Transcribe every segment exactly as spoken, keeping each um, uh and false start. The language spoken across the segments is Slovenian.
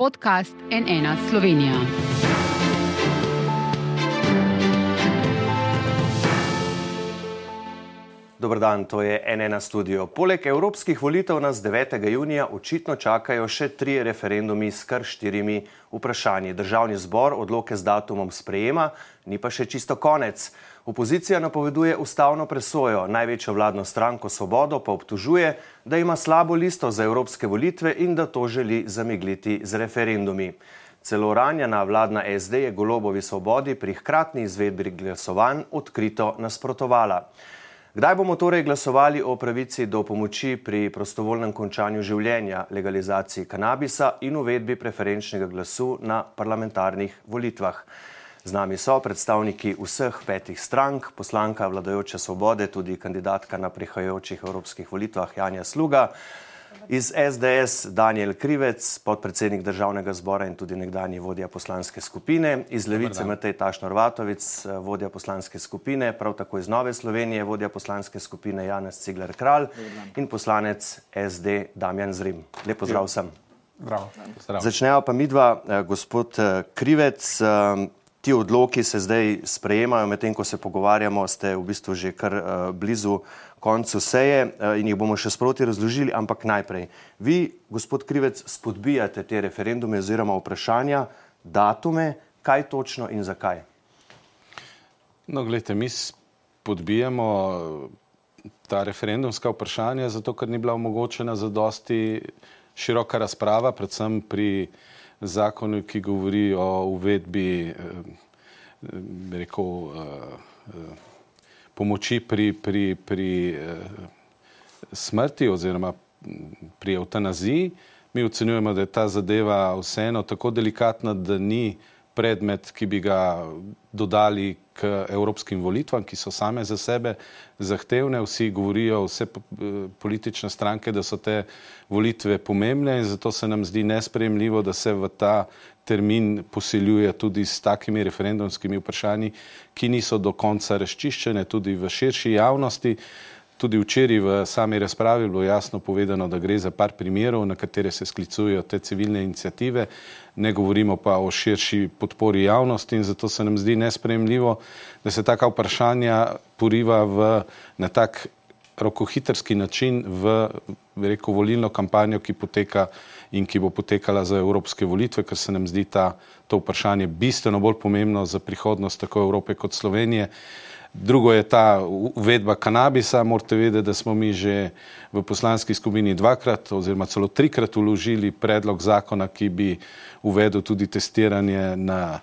podcast N ena Slovenija. Dober dan, to je N ena studio. Poleg evropskih volitev nas devetega junija očitno čakajo še trije referendumi s kar štirimi vprašanji. Državni zbor odloke z datumom sprejema, ni pa še čisto konec. Opozicija napoveduje ustavno presojo, največjo vladno stranko Svobodo pa obtožuje, da ima slabo listo za evropske volitve in da to želi zamegliti z referendumi. Celo ranjena vladna S D je Golobovi Svobodi pri hkratni izvedbi glasovanj odkrito nasprotovala. Kdaj bomo torej glasovali o pravici do pomoči pri prostovoljnem končanju življenja, legalizaciji kanabisa in uvedbi preferenčnega glasu na parlamentarnih volitvah? Z nami so predstavniki vseh petih strank, poslanka vladajoče Svobode, tudi kandidatka na prihajajočih evropskih volitvah Janja Sluga, iz S D S Danijel Krivec, podpredsednik Državnega zbora in tudi nekdanji vodja poslanske skupine, iz Levice Matej Tašner Vatovec, vodja poslanske skupine, prav tako iz Nove Slovenije, vodja poslanske skupine Janez Cigler Kralj in poslanec S D Damjan Zrim. Lep pozdrav vsem. Zdravo. Začneva pa midva, gospod Krivec. Ti odloki se zdaj sprejemajo, medtem ko se pogovarjamo, ste v bistvu že kar uh, blizu koncu seje uh, in jih bomo še sproti razložili, ampak najprej. Vi, gospod Krivec, spodbijate te referendume oziroma vprašanja, datume, kaj točno in zakaj? No, gledajte, mi spodbijamo ta referendumska vprašanja, zato ker ni bila omogočena zadosti široka razprava, predvsem pri zakonu, ki govori o uvedbi eh, rekel, eh, pomoči pri, pri, pri eh, smrti oziroma pri eutanaziji. Mi ocenjujemo, da je ta zadeva vseeno tako delikatna, da ni predmet, ki bi ga dodali k evropskim volitvam, ki so same za sebe zahtevne. Vsi govorijo, vse politične stranke, da so te volitve pomembne in zato se nam zdi nesprejemljivo, da se v ta termin posiljuje tudi s takimi referendumskimi vprašanji, ki niso do konca razčiščene tudi v širši javnosti. Tudi včeraj v sami razpravi je bilo jasno povedano, da gre za par primerov, na katere se sklicujejo te civilne iniciative, ne govorimo pa o širši podpori javnosti in zato se nam zdi nesprejemljivo, da se taka vprašanja poriva v, na tak rokohitrski način v rekel, volilno kampanjo, ki poteka in ki bo potekala za evropske volitve, ker se nam zdi ta, to vprašanje bistveno bolj pomembno za prihodnost tako Evrope kot Slovenije. Drugo je ta uvedba kanabisa. Morate vedeti, da smo mi že v poslanski skupini dvakrat oziroma celo trikrat vložili predlog zakona, ki bi uvedel tudi testiranje na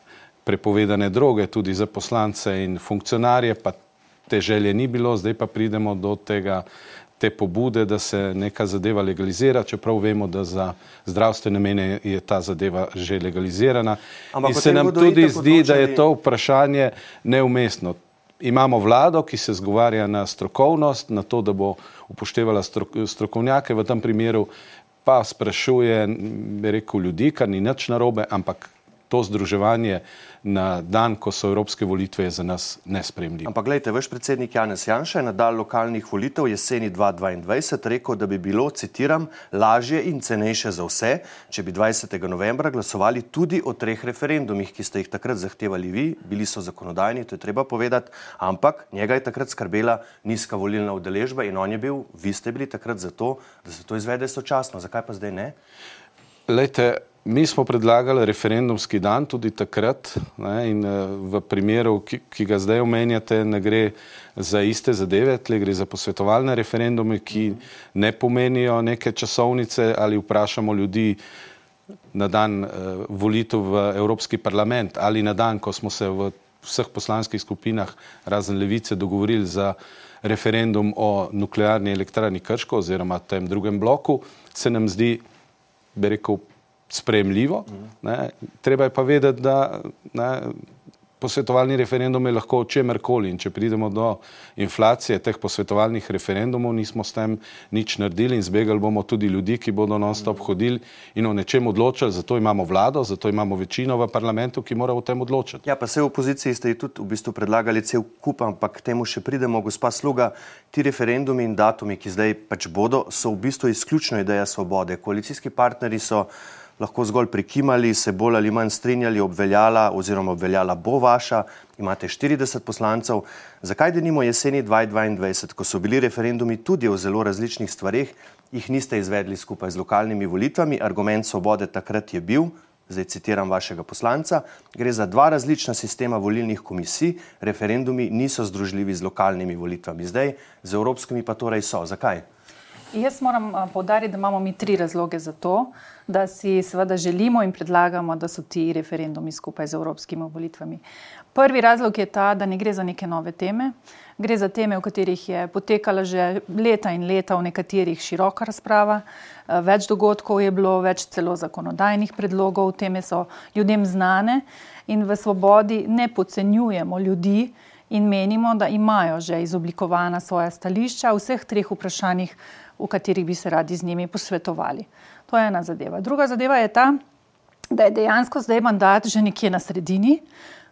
prepovedane droge, tudi za poslance in funkcionarje, pa te želje ni bilo, zdaj pa pridemo do tega, te pobude, da se neka zadeva legalizira, čeprav vemo, da za zdravstvene namene je ta zadeva že legalizirana. Ampak in se nam tudi zdi, odločili... da je to vprašanje neumestno. Imamo vlado, ki se zgovarja na strokovnost, na to, da bo upoštevala strokovnjake, v tem primeru pa sprašuje, bi rekel, ljudi, kar ni nič narobe, ampak to združevanje na dan, ko so evropske volitve, je za nas nesprejemljivo. Ampak gledajte, vaš predsednik Janez Janša je na dan lokalnih volitev jeseni dva tisoč dvaindvajset rekel, da bi bilo, citiram, lažje in cenejše za vse, če bi dvajsetega novembra glasovali tudi o treh referendumih, ki ste jih takrat zahtevali vi, bili so zakonodajni, to je treba povedati, ampak njega je takrat skrbela nizka volilna udeležba in on je bil, vi ste bili takrat za to, da se to izvede sočasno. Zakaj pa zdaj ne? Lejte, mi smo predlagali referendumski dan tudi takrat, ne, in v primeru, ki, ki ga zdaj omenjate, ne gre za iste zadeve, tle gre za posvetovalne referendume, ki ne pomenijo neke časovnice ali vprašamo ljudi na dan uh, volitev v Evropski parlament ali na dan, ko smo se v vseh poslanskih skupinah razen Levice dogovorili za referendum o nuklearni elektrarni Krško oziroma tem drugem bloku, se nam zdi, bi rekel, sprejemljivo. Ne. Treba je pa vedeti, da ne, posvetovalni referendum je lahko o čemerkoli in če pridemo do inflacije teh posvetovalnih referendumov, nismo s tem nič naredili in zbegali bomo tudi ljudi, ki bodo non-stop hodili in o nečem odločali, zato imamo vlado, zato imamo večino v parlamentu, ki mora o tem odločiti. Ja, pa se v opoziciji ste tudi v bistvu predlagali cel kup, ampak k temu še pridemo. Gospa Sluga, ti referendumi in datumi, ki zdaj pač bodo, so v bistvu izključno ideja Svobode. Koalicijski partnerji so lahko zgolj prikimali, se bolj ali manj strinjali, obveljala oziroma obveljala bo vaša, imate štirideset poslancev. Zakaj denimo jeseni dva tisoč dvaindvajset, ko so bili referendumi tudi o zelo različnih stvareh, jih niste izvedli skupaj z lokalnimi volitvami? Argument Svobode takrat je bil, zdaj citiram vašega poslanca, gre za dva različna sistema volilnih komisij, referendumi niso združljivi z lokalnimi volitvami. Zdaj z evropskimi pa torej so. Zakaj? Jaz moram poudariti, da imamo mi tri razloge za to, da si seveda želimo in predlagamo, da so ti referendumi skupaj z evropskimi volitvami. Prvi razlog je ta, da ne gre za neke nove teme. Gre za teme, v katerih je potekala že leta in leta, v nekaterih široka razprava. Več dogodkov je bilo, več celo zakonodajnih predlogov, teme so ljudem znane in v Svobodi ne podcenjujemo ljudi in menimo, da imajo že izoblikovana svoja stališča v vseh treh vprašanjih, v katerih bi se radi z njimi posvetovali. To je ena zadeva. Druga zadeva je ta, da je dejansko zdaj mandat že nekje na sredini,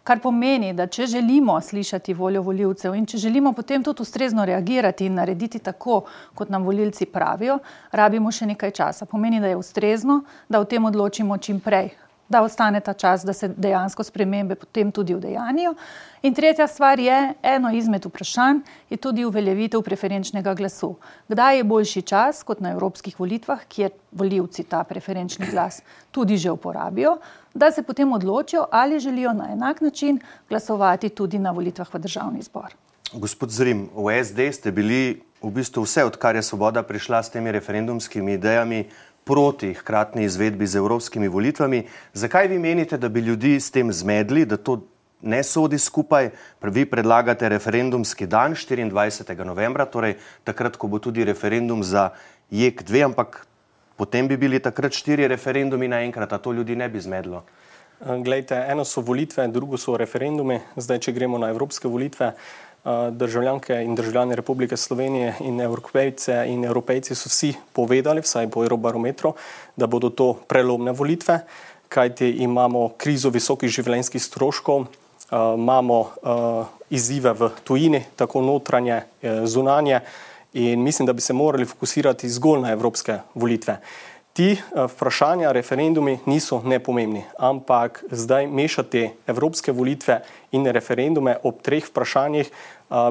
kar pomeni, da če želimo slišati voljo volivcev in če želimo potem tudi ustrezno reagirati in narediti tako, kot nam volilci pravijo, rabimo še nekaj časa. Pomeni, da je ustrezno, da o tem odločimo čim prej, da ostane ta čas, da se dejansko spremembe potem tudi udejanijo. In tretja stvar je, eno izmed vprašanj je tudi uveljavitev preferenčnega glasu. Kdaj je boljši čas, kot na evropskih volitvah, kjer volivci ta preferenčni glas tudi že uporabijo, da se potem odločijo, ali želijo na enak način glasovati tudi na volitvah v državni zbor. Gospod Zrim, v S D ste bili v bistvu vse, odkar je Svoboda prišla s temi referendumskimi idejami, proti hkratni izvedbi z evropskimi volitvami. Zakaj vi menite, da bi ljudi s tem zmedli, da to ne sodi skupaj? Vi predlagate referendumski dan štiriindvajsetega novembra, torej takrat, ko bo tudi referendum za J E K dve, ampak potem bi bili takrat štiri referendumi naenkrat, a to ljudi ne bi zmedlo. Glejte, eno so volitve, drugo so referendumi. Zdaj, če gremo na evropske volitve, državljanke in državljani Republike Slovenije in Evropejce in Evropejci so vsi povedali, vsaj po Eurobarometru, da bodo to prelomne volitve, kajti imamo krizo visokih življenjskih stroškov, imamo izzive v tujini, tako notranje, zunanje, in mislim, da bi se morali fokusirati zgolj na evropske volitve. Ti vprašanja, referendumi niso nepomembni, ampak zdaj mešati evropske volitve in referendume ob treh vprašanjih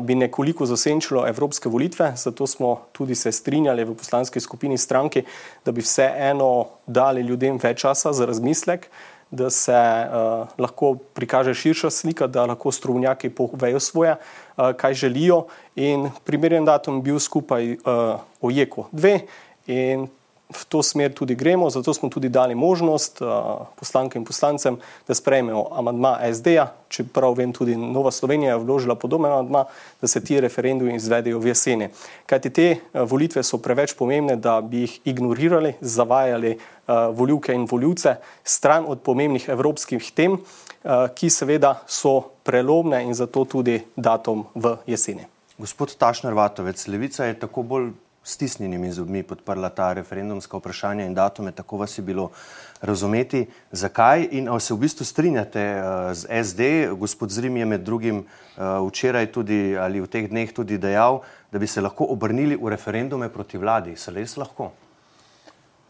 bi nekoliko zasenčilo evropske volitve, zato smo tudi se strinjali v poslanski skupini stranki, da bi vseeno dali ljudem več časa za razmislek, da se uh, lahko prikaže širša slika, da lahko strokovnjaki povejo svoje, uh, kaj želijo, in primeren datum bil skupaj uh, o J E K dve in v to smer tudi gremo, zato smo tudi dali možnost uh, poslankam in poslancem, da sprejmejo amandma S D-ja, čeprav vem, tudi Nova Slovenija je vložila podoben amandma, da se ti referendumi izvedejo v jeseni. Kajti te uh, volitve so preveč pomembne, da bi jih ignorirali, zavajali uh, volivke in volivce stran od pomembnih evropskih tem, uh, ki seveda so prelomne, in zato tudi datum v jeseni. Gospod Tašner Vatovec, Levica je tako bolj stisnjenimi zobmi podprla ta referendumska vprašanja in datume, tako vas je bilo razumeti. Zakaj? In ali se v bistvu strinjate uh, z S D? Gospod Zrim je med drugim uh, včeraj tudi ali v teh dneh tudi dejal, da bi se lahko obrnili v referendume proti vladi. Se res lahko?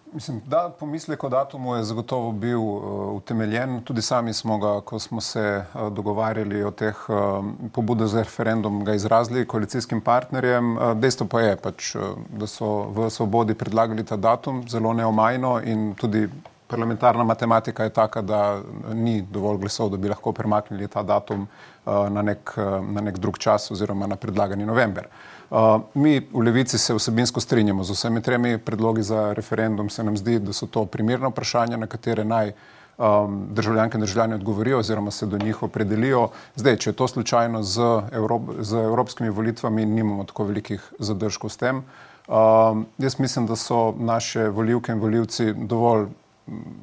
Mislim, da pomislek o datumu je zagotovo bil uh, utemeljen. Tudi sami smo ga, ko smo se uh, dogovarjali o teh uh, pobudah za referendum, ga izrazili koalicijskim partnerjem. Uh, dejstvo pa je, pač, uh, da so v Svobodi predlagali ta datum zelo neomajno, in tudi parlamentarna matematika je taka, da ni dovolj glasov, da bi lahko premaknili ta datum uh, na, nek, uh, na nek drug čas oziroma na predlagani november. Uh, mi v Levici se vsebinsko strinjamo z vsemi tremi predlogi za referendum. Se nam zdi, da so to primerna vprašanja, na katere naj um, državljanke in državljani odgovorijo oziroma se do njih opredelijo. Zdaj, če je to slučajno z, Evrop, z evropskimi volitvami, nimamo tako velikih zadržkov s tem. Um, jaz mislim, da so naše volivke in volivci dovolj,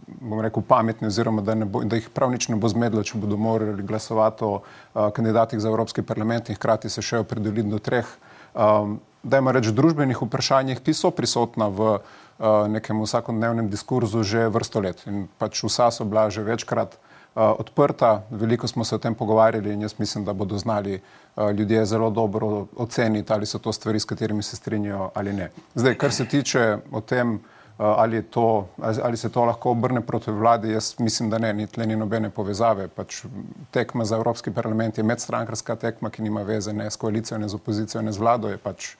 bom rekel, pametni, oziroma da, ne bo, da jih prav nič ne bo zmedlo, če bodo morali glasovati o uh, kandidatih za Evropski parlament in hkrati se še opredeliti do treh Um, dajmo reči, družbenih vprašanjih, ki so prisotna v uh, nekem vsakodnevnem diskurzu že vrsto let. In pač vsa so bila že večkrat uh, odprta, veliko smo se o tem pogovarjali in jaz mislim, da bodo znali uh, ljudje zelo dobro oceniti, ali so to stvari, s katerimi se strinjajo ali ne. Zdaj, kar se tiče o tem, Ali, je to, ali se to lahko obrne proti vladi, jaz mislim, da ne, ni tle ni nobene povezave. Pač tekma za Evropski parlament je medstrankarska tekma, ki nima veze ne s koalicijo, ne z opozicijo, ne z vlado, je pač,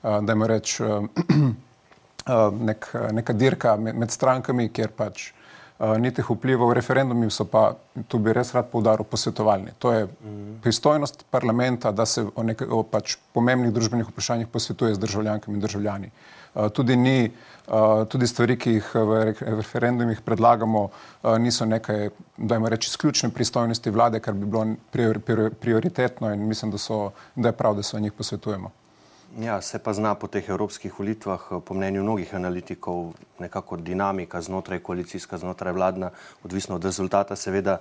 dajmo reči, nek, neka dirka med, med strankami, kjer pač ni teh vplivov. Referendumi so pa, tu bi res rad poudaril, posvetovalni. To je pristojnost parlamenta, da se o, nek, o pač pomembnih družbenih vprašanjih posvetuje z državljankami in državljani. Tudi ni, tudi stvari, ki jih v referendumih predlagamo, niso nekaj, dajmo reči, izključne pristojnosti vlade, kar bi bilo prioritetno in mislim, da, so, da je prav, da se o njih posvetujemo. Ja, se pa zna po teh evropskih volitvah, po mnenju mnogih analitikov, nekako dinamika znotraj koalicijska, znotraj vladna, odvisno od rezultata, seveda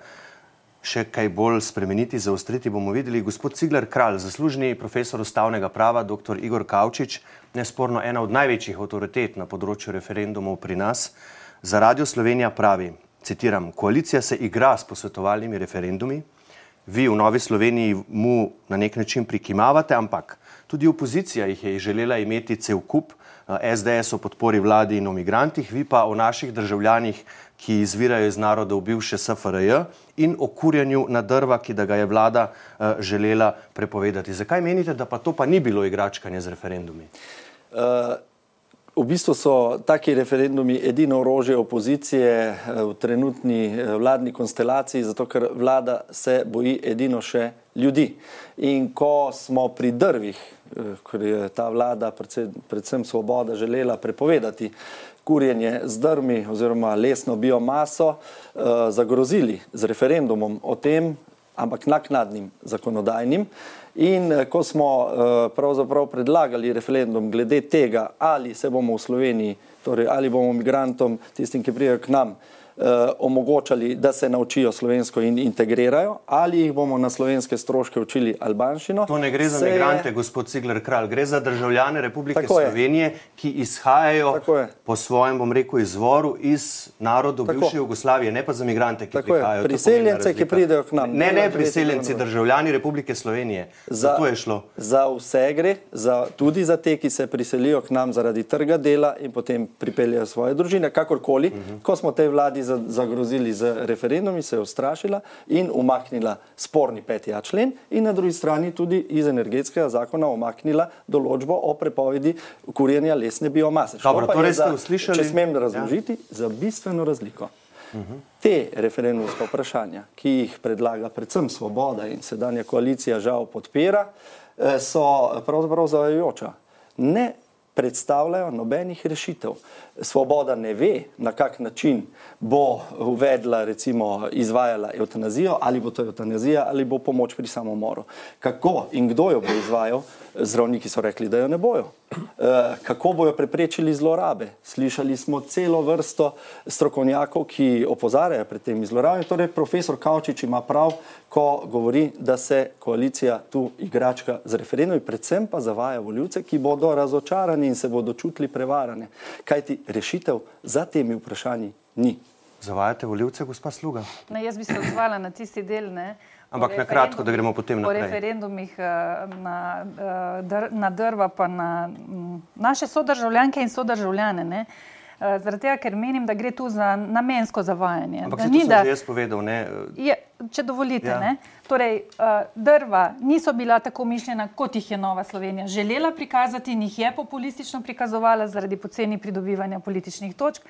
še kaj bolj spremeniti, zaostriti, bomo videli. Gospod Cigler Kralj, zaslužni profesor ustavnega prava, doktor Igor Kavčič, nesporno ena od največjih avtoritet na področju referendumov pri nas, za Radio Slovenija pravi, citiram, koalicija se igra s posvetovalnimi referendumi, vi v Novi Sloveniji mu na nek način prikimavate, ampak tudi opozicija jih je želela imeti cel kup, es de es o podpori vladi in o migrantih, vi pa o naših državljanih, ki izvirajo iz narodov bivše es ef er je in o kurjenju na drva, ki da ga je vlada uh, želela prepovedati. Zakaj menite, da pa to pa ni bilo igračkanje z referendumi? Uh, v bistvu so taki referendumi edino orožje opozicije v trenutni vladni konstelaciji, zato ker vlada se boji edino še ljudi. In ko smo pri drvih, ker je ta vlada, predvsem, predvsem Svoboda, želela prepovedati kurjenje z drvmi oziroma lesno biomaso, eh, zagrozili z referendumom o tem, ampak naknadnim zakonodajnim. In eh, ko smo eh, pravzaprav predlagali referendum glede tega, ali se bomo v Sloveniji, torej ali bomo migrantom, tistim, ki pridejo k nam, eh, omogočali, da se naučijo slovensko in integrirajo, ali jih bomo na slovenske stroške učili albanščino. To ne gre za se... migrante, gospod Cigler Kralj, gre za državljane Republike Tako Slovenije, je. ki izhajajo Tako je. po svojem, bom rekel, izvoru iz narodov Tako. bivše Jugoslavije, ne pa za migrante, ki Tako prihajajo. je. Priseljence, ki pridejo k nam. Ne, ne, priseljenci, državljani Republike Slovenije. Za, to je šlo. Za vse gre, za, tudi za te, ki se priselijo k nam zaradi trga dela in potem pripeljajo svoje družine, kakorkoli. Uh-huh. Ko smo tej vladi zagrozili z referendumi, se je ustrašila in umaknila sporni peti a člen in na drugi strani tudi iz energetskega zakona umaknila določbo o prepovedi kurjenja lesne biomase. Dobro, torej ste za, uslišali... Če smem razložiti, ja. za bistveno razliko. Uh-huh. Te referendumska vprašanja, ki jih predlaga predvsem Svoboda in sedanja koalicija žal podpira, so pravzaprav zavajajoča. Ne predstavljajo nobenih rešitev. Svoboda ne ve, na kak način bo uvedla, recimo, izvajala evtanazijo, ali bo to evtanazija, ali bo pomoč pri samomoru. Kako in kdo jo bo izvajal? Zdravniki so rekli, da jo ne bojo. E, kako bojo preprečili zlorabe? Slišali smo celo vrsto strokovnjakov, ki opozarjajo pred temi zlorabami. Torej, profesor Kavčič ima prav, ko govori, da se koalicija tu igračka z referendumi, predvsem pa zavaja volivce, ki bodo razočarani in se bodo čutili prevarane. Kajti rešitev za temi vprašanji ni. Zavajate volivce, gospa Sluga? Ne, jaz bi se odzvala na tisti del, ne. Ampak na kratko, da gremo potem naprej. Po referendumih na, na drva pa na naše sodržavljanke in sodržavljane, ne. Zaradi tega, ker menim, da gre tu za namensko zavajanje. Ampak se to sem že jaz povedal, ne? Je, če dovolite, ja. ne. Torej, drva niso bila tako mišljena, kot jih je Nova Slovenija želela prikazati in jih je populistično prikazovala zaradi poceni pridobivanja političnih točk.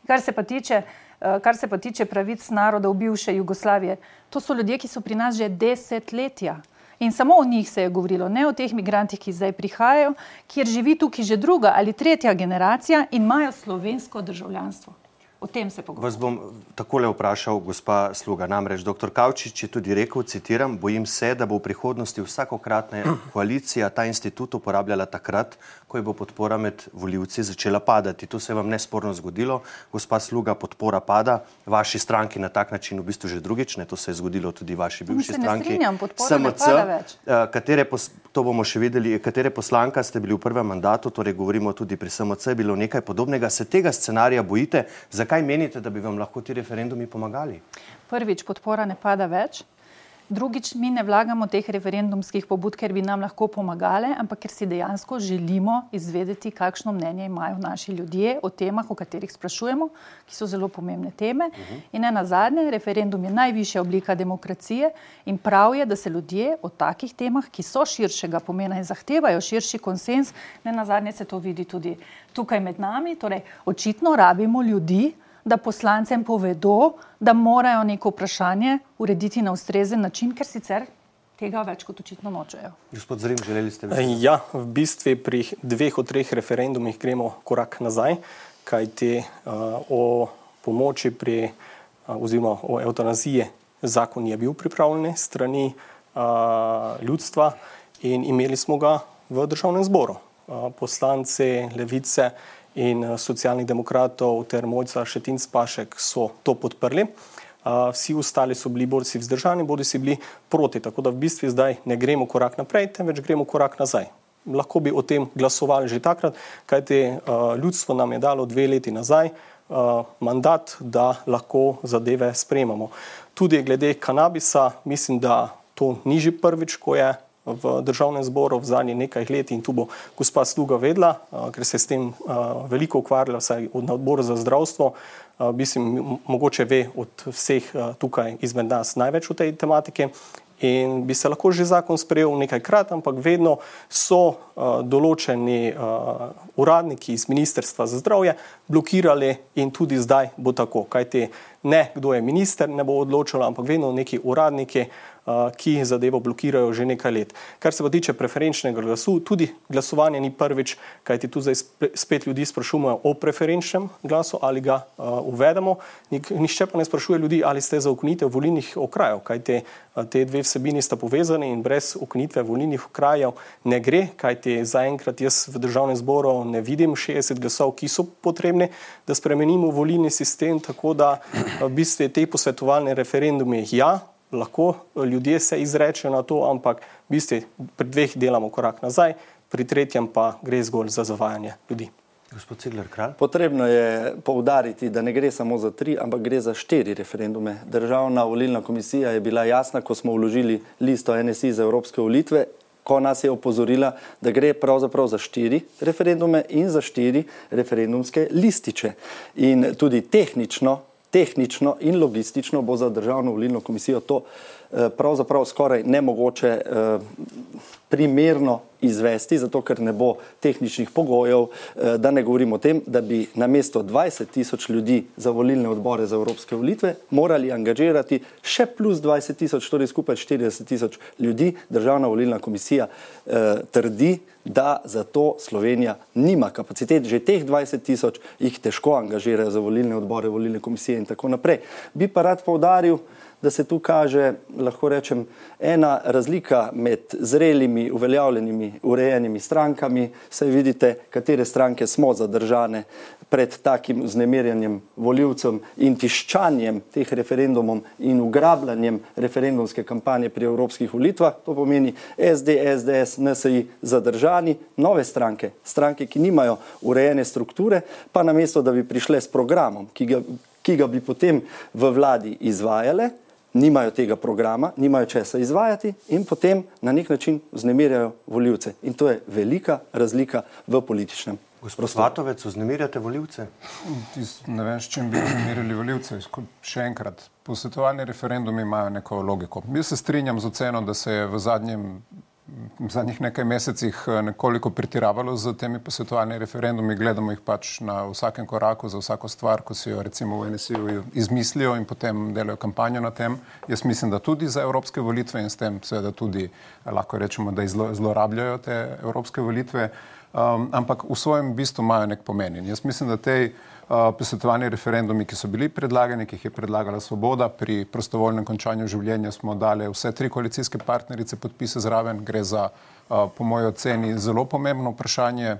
Kar se pa tiče, kar se pa tiče pravic narodov bivše Jugoslavije, to so ljudje, ki so pri nas že desetletja. In samo o njih se je govorilo, ne o teh migrantih, ki zdaj prihajajo, kjer živi tukaj že druga ali tretja generacija in imajo slovensko državljanstvo. O tem se pogovarjamo. Vas bom takole vprašal, gospa Sluga. Namreč doktor Kavčič je tudi rekel, citiram, bojim se, da bo v prihodnosti vsakokratna koalicija ta institut uporabljala takrat, ko je bo podpora med volivci začela padati. To se je vam nesporno zgodilo. Gospa Sluga, podpora pada. Vaši stranki na tak način v bistvu že drugič, ne, to se je zgodilo tudi vaši bivši stranki. Se ne strinjam, podpora ne pada več. Katere, to bomo še videli, katere poslanka ste bili v prvem mandatu, torej govorimo tudi pri es em ce, bilo nekaj podobnega. Se tega scenarija bojite? Zakaj menite, da bi vam lahko ti referendumi pomagali? Prvič, podpora ne pada več. Drugič, mi ne vlagamo teh referendumskih pobud, ker bi nam lahko pomagale, ampak ker si dejansko želimo izvedeti, kakšno mnenje imajo naši ljudje o temah, o katerih sprašujemo, ki so zelo pomembne teme. Uh-huh. In ne nazadnje, referendum je najvišja oblika demokracije in prav je, da se ljudje o takih temah, ki so širšega pomena in zahtevajo širši konsens, ne nazadnje se to vidi tudi tukaj med nami, torej očitno rabimo ljudi, da poslancem povedo, da morajo neko vprašanje urediti na ustrezen način, ker sicer tega več kot očitno nočejo. Gospod Zrim, želeli ste vi? Ja, v bistvu pri dveh od treh referendumih gremo korak nazaj, kajti uh, o pomoči pri, uh, oziroma o evtanaziji zakon je bil pripravljen strani uh, ljudstva in imeli smo ga v državnem zboru. Uh, poslanci Levice in socialnih demokratov ter Mojca Šetinc Pašek so to podprli. Vsi ostali so bili borci vzdržani, bodi si bili proti, tako da v bistvu zdaj ne gremo korak naprej, temveč gremo korak nazaj. Lahko bi o tem glasovali že takrat, kajti ljudstvo nam je dalo dve leti nazaj mandat, da lahko zadeve sprejemamo. Tudi glede kanabisa, mislim, da to ni že prvič, ko je v državnem zboru v zadnjih nekaj let in tu bo gospa Sluga vedla, ker se s tem veliko ukvarjala, vsaj na odboru za zdravstvo, mislim, mogoče ve od vseh tukaj izmed nas največ o tej tematiki in bi se lahko že zakon sprejel nekajkrat, ampak vedno so določeni uradniki iz Ministrstva za zdravje blokirali in tudi zdaj bo tako, kajti ne kdo je minister, ne bo odločilo, ampak vedno neki uradniki, ki zadevo blokirajo že nekaj let. Kar se pa tiče preferenčnega glasu, tudi glasovanje ni prvič, kajti tu zdaj spet ljudi sprašujemo o preferenčnem glasu, ali ga uh, uvedemo. Nihče pa ne sprašuje ljudi, ali ste za ukinitev volilnih okrajev, kajti uh, te dve vsebini sta povezani in brez ukinitve volilnih okrajev ne gre, kajti zaenkrat jaz v državnem zboru ne vidim šestdeset glasov, ki so potrebni, da spremenimo volilni sistem, tako da uh, v bistvu te posvetovalne referendume ja, lahko ljudje se izrečejo na to, ampak v bistvu pri dveh delamo korak nazaj, pri tretjem pa gre zgolj za zavajanje ljudi. Gospod Cigler Kralj. Potrebno je poudariti, da ne gre samo za tri, ampak gre za štiri referendume. Državna volilna komisija je bila jasna, ko smo vložili listo N S I za evropske volitve, ko nas je opozorila, da gre pravzaprav za štiri referendume in za štiri referendumske lističe. In tudi tehnično Tehnično in logistično bo za državno volilno komisijo to eh, pravzaprav skoraj nemogoče eh, primerno izvesti, zato ker ne bo tehničnih pogojev, eh, da ne govorimo o tem, da bi namesto dvajset tisoč ljudi za volilne odbore za evropske volitve morali angažirati še plus dvajset tisoč, torej skupaj štirideset tisoč ljudi. Državna volilna komisija eh, trdi, da za to Slovenija nima kapacitet. Že teh dvajset tisoč jih težko angažirajo za volilne odbore, volilne komisije in tako naprej. Bi pa rad poudaril, da se tu kaže, lahko rečem, ena razlika med zrelimi, uveljavljenimi, urejenimi strankami. Saj vidite, katere stranke smo zadržane pred takim vznemirjanjem volivcem in tiščanjem teh referendumom in ugrabljanjem referendumske kampanje pri evropskih volitvah. To pomeni S D, S D S, N S I zadržani, nove stranke, stranke, ki nimajo urejene strukture, pa namesto, da bi prišle s programom, ki ga, ki ga bi potem v vladi izvajale, nimajo tega programa, nimajo česa izvajati in potem na nek način vznemirjajo volivce. In to je velika razlika v političnem prostoru. Gospod Svatovec, vznemirjate volivce? Ne vem, s čim bi vznemirili volivce. Še enkrat, posvetovalni referendumi imajo neko logiko. Jaz se strinjam z oceno, da se je v zadnjem v zadnjih nekaj mesecih nekoliko pretiravalo z temi posvetovalnimi referendumi, gledamo jih pač na vsakem koraku, za vsako stvar, ko si jo recimo v N S I-ju izmislijo in potem delajo kampanjo na tem. Jaz mislim, da tudi za evropske volitve in s tem seveda tudi lahko rečemo, da zlorabljajo te evropske volitve, um, ampak v svojem bistvu imajo nek pomen. In jaz mislim, da tej Uh, posvetovalni referendumi, ki so bili predlagani, ki jih je predlagala Svoboda, pri prostovoljnem končanju življenja smo dali vse tri koalicijske partnerice podpise zraven. Gre za, uh, po moji oceni, zelo pomembno vprašanje.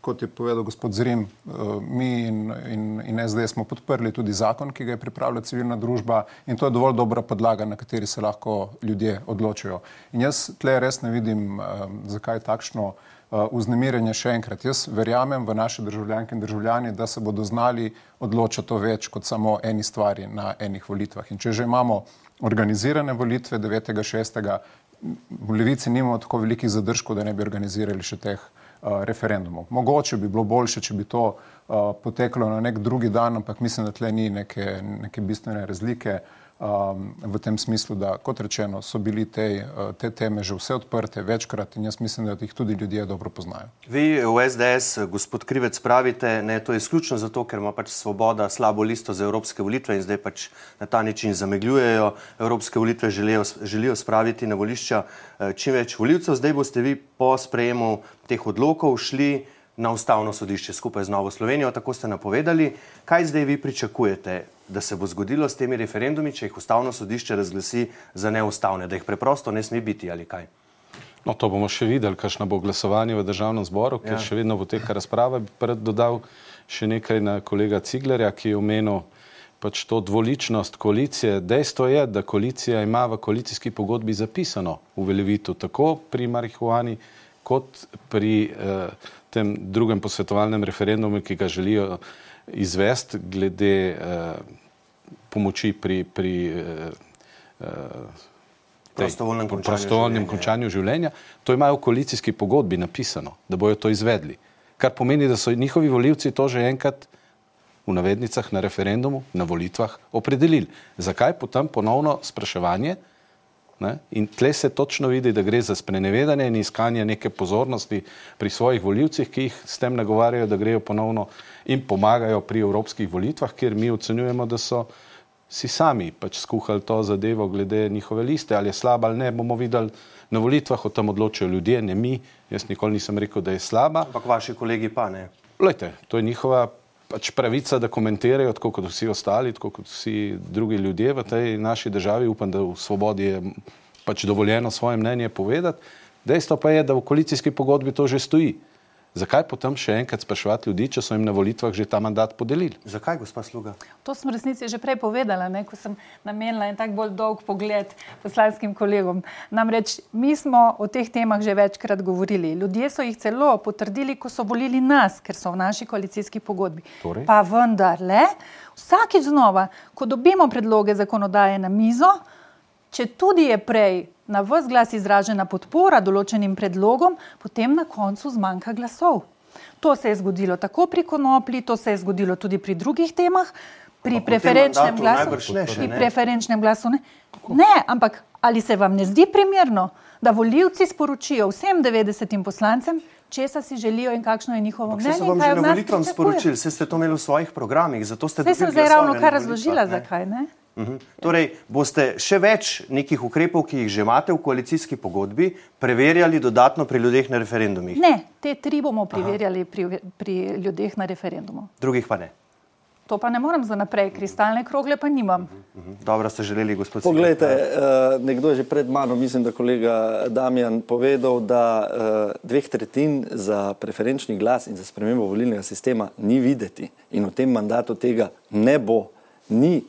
Kot je povedal gospod Zrim, uh, mi in, in, in S D smo podprli tudi zakon, ki ga je pripravila civilna družba in to je dovolj dobra podlaga, na kateri se lahko ljudje odločijo. In jaz tle res ne vidim, uh, zakaj takšno vznemirjenje še enkrat. Jaz verjamem v naše državljanke in državljani, da se bodo znali odločati o več kot samo eni stvari na enih volitvah. In če že imamo organizirane volitve devetega šestega, v Levici nimamo tako velikih zadržkov, da ne bi organizirali še teh uh, referendumov. Mogoče bi bilo boljše, če bi to uh, poteklo na nek drugi dan, ampak mislim, da tle ni neke, neke bistvene razlike um, v tem smislu, da, kot rečeno, so bili te, uh, te teme že vse odprte večkrat in jaz mislim, da jih tudi ljudje dobro poznajo. Vi v S D S, gospod Krivec, pravite, ne, to je izključno zato, ker ima pač Svoboda slabo listo za evropske volitve in zdaj pač na ta način zamegljujejo evropske volitve, želijo, želijo spraviti na volišča čim več volivcev. Zdaj boste vi po sprejemu teh odlokov šli na Ustavno sodišče skupaj z Novo Slovenijo, tako ste napovedali. Kaj zdaj vi pričakujete, da se bo zgodilo s temi referendumi, če jih Ustavno sodišče razglasi za neustavne, da jih preprosto ne sme biti ali kaj? No, to bomo še videli, kakšno bo glasovanje v Državnem zboru, ker ja. še vedno poteka razprava. Bi pred dodal še nekaj na kolega Ciglerja, ki je omenil pač to dvoličnost koalicije. Dejstvo je, da koalicija ima v koalicijski pogodbi zapisano uveljavitev tako pri marihuani, kot pri eh, tem drugem posvetovalnem referendumu, ki ga želijo izvesti glede eh, pomoči pri, pri eh, prostovoljnem končanju, prostovoljnem končanju življenja. To imajo v koalicijski pogodbi napisano, da bojo to izvedli. Kar pomeni, da so njihovi volivci to že enkrat v navednicah na referendumu, na volitvah opredelili. Zakaj potem ponovno spraševanje? Ne? In tle se točno vidi, da gre za sprenevedanje in iskanje neke pozornosti pri svojih volivcih, ki jih s tem nagovarjajo, da grejo ponovno in pomagajo pri evropskih volitvah, kjer mi ocenjujemo, da so si sami pač skuhali to zadevo glede njihove liste, ali je slaba ali ne, bomo videli na volitvah, o tem odločajo ljudje, ne mi. Jaz nikoli nisem rekel, da je slaba. Ampak vaši kolegi pa ne. Glejte, to je njihova pač pravica, da komentirajo, tako kot vsi ostali, tako kot vsi drugi ljudje v tej naši državi. Upam, da v Svobodi je pač dovoljeno svoje mnenje povedati. Dejstvo pa je, da v koalicijski pogodbi to že stoji. Zakaj potem še enkrat spraševati ljudi, če so jim na volitvah že ta mandat podelili? Zakaj, gospa Sluga? To sem v resnici že prej povedala, ne, ko sem namenila en tak bolj dolg pogled poslanskim kolegom. Namreč mi smo o teh temah že večkrat govorili. Ljudje so jih celo potrdili, ko so volili nas, ker so v naši koalicijski pogodbi. Torej? Pa vendarle, vsakič znova, ko dobimo predloge zakonodaje na mizo, če tudi je prej na ves glas izražena podpora določenim predlogom, potem na koncu zmanjka glasov. To se je zgodilo tako pri konoplji, to se je zgodilo tudi pri drugih temah, pri preferenčnem glasu. Ne, še, pri preferenčnem glasu ne. Ne, ampak ali se vam ne zdi primerno, da volivci sporočijo vsem devetdesetim poslancem, česa si želijo in kakšno je njihovo mnenje? Vse so vam že na volitvam sporočili, vse ste to imeli v svojih programih, zato ste dobili glasove. Saj sem zdaj ravno kar razložila, zakaj, ne? Uhum. Torej, boste še več nekih ukrepov, ki jih že imate v koalicijski pogodbi, preverjali dodatno pri ljudeh na referendumih? Ne, te tri bomo preverjali pri, pri ljudeh na referendumu. Drugih pa ne? To pa ne morem za naprej, kristalne krogle pa nimam. Uhum. Dobro ste želeli, gospod Cigar. Poglejte, uh, nekdo je že pred mano, mislim, da kolega Damjan povedal, da uh, dveh tretjin za preferenčni glas in za spremembo volilnega sistema ni videti in v tem mandatu tega ne bo, ni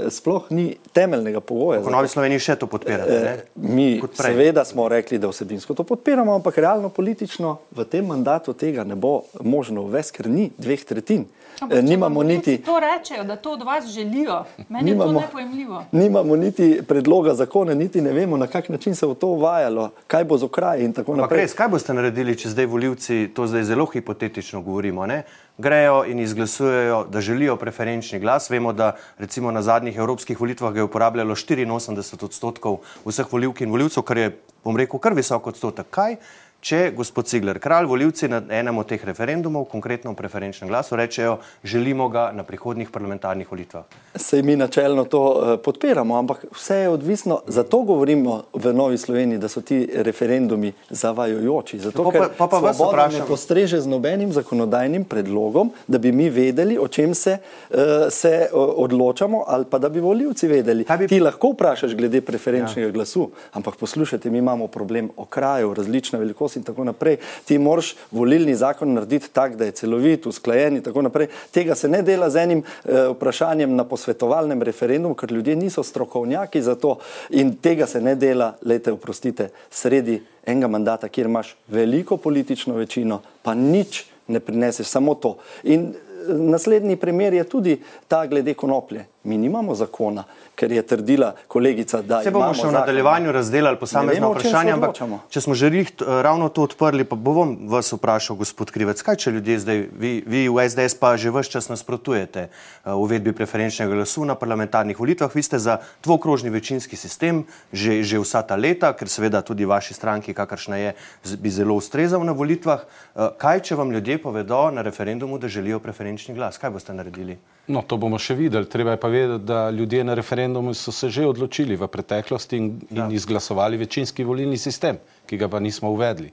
sploh ni temeljnega pogoja. V Novi Sloveniji še to podpirate, ne? Mi seveda smo rekli, da vsebinsko to podpiramo, ampak realno politično v tem mandatu tega ne bo možno uvesti, ker ni dveh tretjin. Ampak, nimamo niti to rečejo, da to od vas želijo. Meni nimamo, je to nepojemljivo. Nimamo niti predloga zakona, niti ne vemo, na kak način se bo to uvajalo, kaj bo z okraji in tako ampak naprej. Res, kaj boste naredili, če zdaj volivci, to zdaj zelo hipotetično govorimo, ne? Grejo in izglasujejo, da želijo preferenčni glas. Vemo, da recimo na zadnjih evropskih volitvah ga je uporabljalo štiriinosemdeset odstotkov vseh volivk in volivcev, kar je, bom rekel, kar visok odstotek. Kaj, če, gospod Cigler Kralj, volivci na enem od teh referendumov, konkretno v preferenčnem glasu, rečejo, želimo ga na prihodnjih parlamentarnih volitvah? Sej mi načelno to uh, podpiramo, ampak vse je odvisno, zato govorimo v Novi Sloveniji, da so ti referendumi zavajojoči. Zato, ker pa, pa, pa Svoboda ne postreže z nobenim zakonodajnim predlogom, da bi mi vedeli, o čem se, uh, se uh, odločamo, ali pa da bi volivci vedeli. Bi... Ti lahko vprašaš glede preferenčnega ja. glasu, ampak poslušajte, mi imamo problem okrajev, različne velikosti skozi in tako naprej. Ti moraš volilni zakon narediti tak, da je celovit, usklajen in tako naprej. Tega se ne dela z enim uh, vprašanjem na posvetovalnem referendumu, ker ljudje niso strokovnjaki za to in tega se ne dela, lejte, oprostite, sredi enega mandata, kjer imaš veliko politično večino, pa nič ne prineseš, samo to. In naslednji primer je tudi ta glede konoplje. Mi nimamo zakona, ker je trdila kolegica, da se bomo še v nadaljevanju razdelali posamezna vprašanja, ampak če smo že ravno to odprli, pa bom vas vprašal, gospod Krivec, kaj če ljudje zdaj, vi, vi v S D S pa že ves čas nasprotujete uvedbi preferenčnega glasu na parlamentarnih volitvah, vi ste za dvokrožni večinski sistem že, že vsa ta leta, ker seveda tudi vaši stranki, kakršna je, bi zelo ustrezal na volitvah. Kaj če vam ljudje povedo na referendumu, da želijo preferenčni glas? Kaj boste naredili? No, to bomo še videli. Treba je pa vedeti, da ljudje na referendumu so se že odločili v preteklosti in, in ja. izglasovali večinski volilni sistem, ki ga pa nismo uvedli.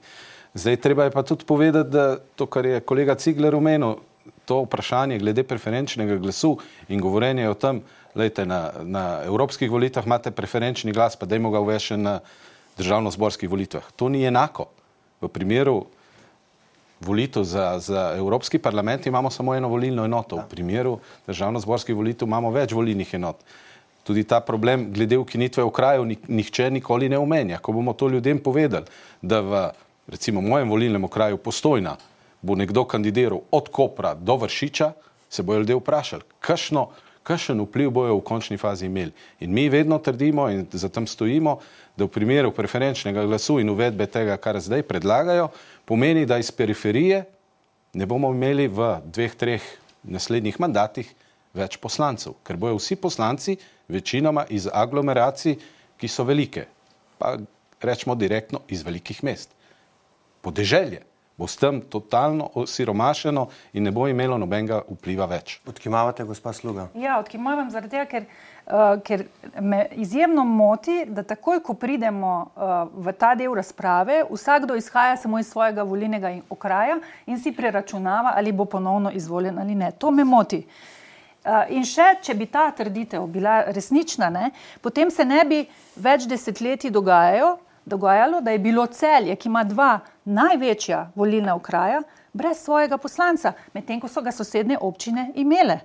Zdaj treba je pa tudi povedati, da to, kar je kolega Cigler omenil, to vprašanje glede preferenčnega glasu in govorenje o tem, lejte, na, na evropskih volitvah imate preferenčni glas, pa dajmo ga uvesti na državnozborskih volitvah. To ni enako. V primeru volitev za, za Evropski parlament imamo samo eno volilno enoto. V primeru državnozborskih volitev imamo več volilnih enot. Tudi ta problem glede ukinitve okrajev nihče nikoli ne omenja. Ko bomo to ljudem povedali, da v recimo mojem volilnem okraju Postojna bo nekdo kandidiral od Kopra do Vršiča, se bojo ljudje vprašali, kakšno, kakšen vpliv bojo v končni fazi imeli. In mi vedno trdimo in za tem stojimo, da v primeru preferenčnega glasu in uvedbe tega, kar zdaj predlagajo, pomeni, da iz periferije ne bomo imeli v dveh, treh naslednjih mandatih več poslancev, ker bojo vsi poslanci večinoma iz aglomeracij, ki so velike, pa rečemo direktno iz velikih mest. Podeželje bo s tem totalno osiromašeno in ne bo imelo nobenega vpliva več. Odkimavate, gospa Sluga? Ja, odkimavam zaradi tega, ker, uh, ker me izjemno moti, da takoj, ko pridemo uh, v ta del razprave, vsakdo izhaja samo iz svojega volilnega okraja in si preračunava, ali bo ponovno izvoljen ali ne. To me moti. Uh, in še, če bi ta trditev bila resnična, ne, potem se ne bi več desetletij dogajajo, dogajalo, da je bilo Celje, ki ima dva največja volilna okraja, brez svojega poslanca, medtem ko so ga sosednje občine imele.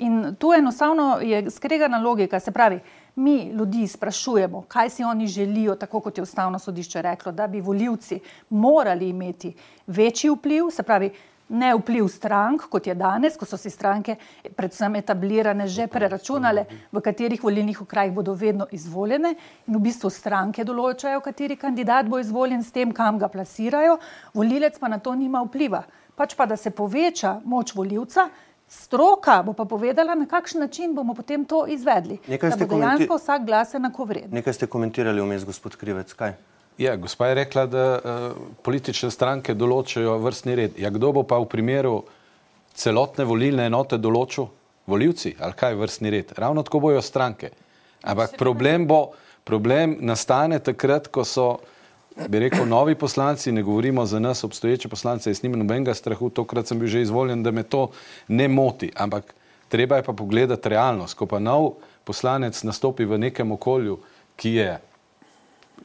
In tu enostavno je skregana logika, se pravi, mi ljudi sprašujemo, kaj si oni želijo, tako kot je Ustavno sodišče reklo, da bi volivci morali imeti večji vpliv, se pravi, ne vpliv strank, kot je danes, ko so si stranke predvsem etablirane že preračunale, v katerih volilnih okrajih bodo vedno izvoljene in v bistvu stranke določajo, kateri kandidat bo izvoljen s tem, kam ga plasirajo, volilec pa na to nima vpliva. Pač pa, da se poveča moč volivca, stroka bo pa povedala, na kakšen način bomo potem to izvedli. Da bo dejansko vsak glas enakovreden. Nekaj ste komentirali vmes, gospod Krivec, kaj? Ja, gospa je rekla, da uh, politične stranke določajo vrstni red. Ja, kdo bo pa v primeru celotne volilne enote določil? Volivci? Ali kaj vrstni red? Ravno tako bojo stranke. Ampak problem bo, problem nastane takrat, ko so, bi rekel, novi poslanci, ne govorimo za nas, obstoječe poslance, jaz nimam nobenega strahu, tokrat sem bil že izvoljen, da me to ne moti. Ampak treba je pa pogledati realnost. Ko pa nov poslanec nastopi v nekem okolju, ki je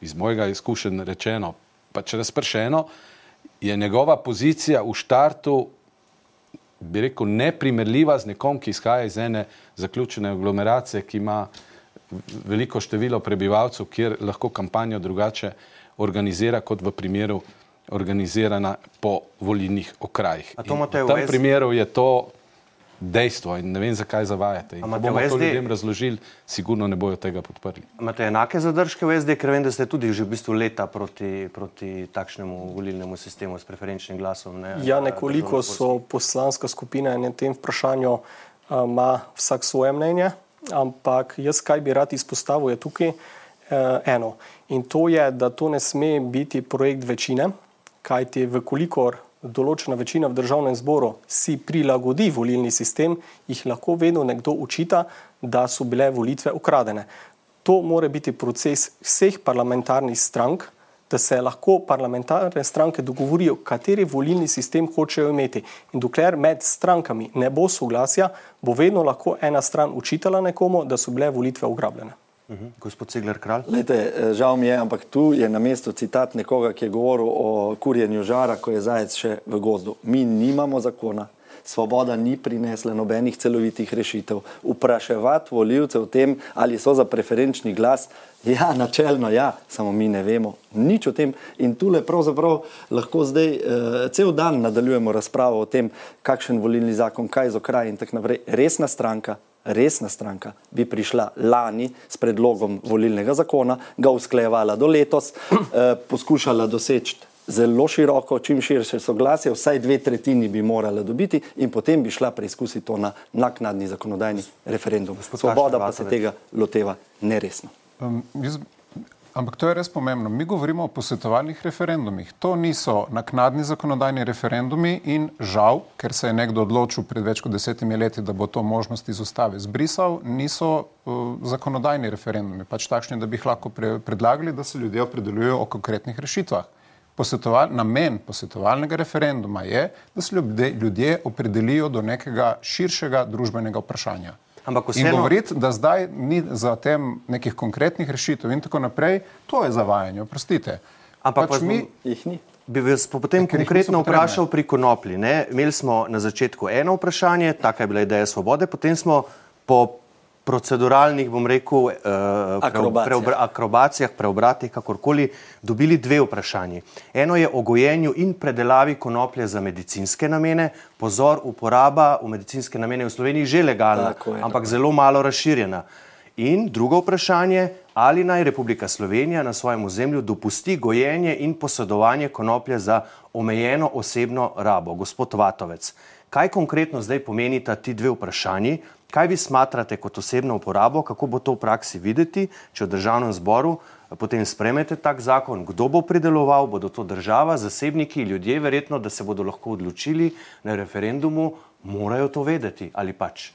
iz mojega izkušenj rečeno, pač razpršeno, je njegova pozicija v štartu, bi rekel, neprimerljiva z nekom, ki izhaja iz ene zaključene aglomeracije, ki ima veliko število prebivalcev, kjer lahko kampanjo drugače organizira, kot v primeru organizirana po volilnih okrajih. A to imate v tem primeru je to dejstvo in ne vem, zakaj zavajate. In ko bomo to ljudem razložili, sigurno ne bojo tega podprli. Imate enake zadržke v S D, ker vem, da ste tudi že v bistvu leta proti, proti takšnemu volilnemu sistemu s preferenčnim glasom? Ne? Ja, nekoliko so poslanska skupina in na tem vprašanju ima vsak svoje mnenje, ampak jaz kaj bi rad izpostavil je tukaj uh, eno. In to je, da to ne sme biti projekt večine, kajti vkolikor določena večina v državnem zboru si prilagodi volilni sistem, jih lahko vedno nekdo učita, da so bile volitve ukradene. To mora biti proces vseh parlamentarnih strank, da se lahko parlamentarne stranke dogovorijo, kateri volilni sistem hočejo imeti. In dokler med strankami ne bo soglasja, bo vedno lahko ena stran učitala nekomu, da so bile volitve ugrabljene. Uh-huh. Gospod Cigler Kralj. Lejte, žal mi je, ampak tu je na mestu citat nekoga, ki je govoril o kurjenju žara, ko je zajec še v gozdu. Mi nimamo zakona. Svoboda ni prinesla nobenih celovitih rešitev. Vpraševati volivce o tem, ali so za preferenčni glas, ja, načelno ja, samo mi ne vemo nič o tem. In tule pravzaprav lahko zdaj uh, cel dan nadaljujemo razpravo o tem, kakšen volilni zakon, kaj z okraj in tako naprej. Resna stranka, resna stranka bi prišla lani s predlogom volilnega zakona, ga usklajevala do letos, uh, poskušala doseči zelo široko, čim širše soglasje, vsaj dve tretjini bi morala dobiti in potem bi šla preizkusiti to na naknadni zakonodajni referendum. Svoboda pa se tega loteva neresno. Um, jaz, ampak to je res pomembno. Mi govorimo o posvetovalnih referendumih. To niso naknadni zakonodajni referendumi in žal, ker se je nekdo odločil pred več kot desetimi leti, da bo to možnost iz ustave zbrisal, niso uh, zakonodajni referendumi, pač takšni, da bi jih lahko pre, predlagali, da se ljudje opredeljujejo o konkretnih rešitvah. Posvetoval, namen posvetovalnega referenduma je, da se ljudje, ljudje opredelijo do nekega širšega družbenega vprašanja. Ampak vseeno... In govoriti, da zdaj ni za tem nekih konkretnih rešitev in tako naprej, to je zavajanje, oprostite. Ampak pač mi jih ni. Bi vas potem konkretno vprašal pri konoplji. Ne? Imeli smo na začetku eno vprašanje, taka je bila ideja Svobode, potem smo po proceduralnih, bom rekel, uh, akrobacijah. Preobra, akrobacijah, preobratih, kakorkoli, dobili dve vprašanji. Eno je o gojenju in predelavi konoplje za medicinske namene. Pozor, uporaba v medicinske namene v Sloveniji že legalna, je, ampak tako. Zelo malo razširjena. In drugo vprašanje, ali naj Republika Slovenija na svojem ozemlju dopusti gojenje in posedovanje konoplje za omejeno osebno rabo. Gospod Vatovec, kaj konkretno zdaj pomenita ti dve vprašanji? Kaj vi smatrate kot osebno uporabo, kako bo to v praksi videti, če v državnem zboru potem sprejmete tak zakon, kdo bo prideloval, bodo to država, zasebniki, ljudje verjetno, da se bodo lahko odločili na referendumu, morajo to vedeti ali pač?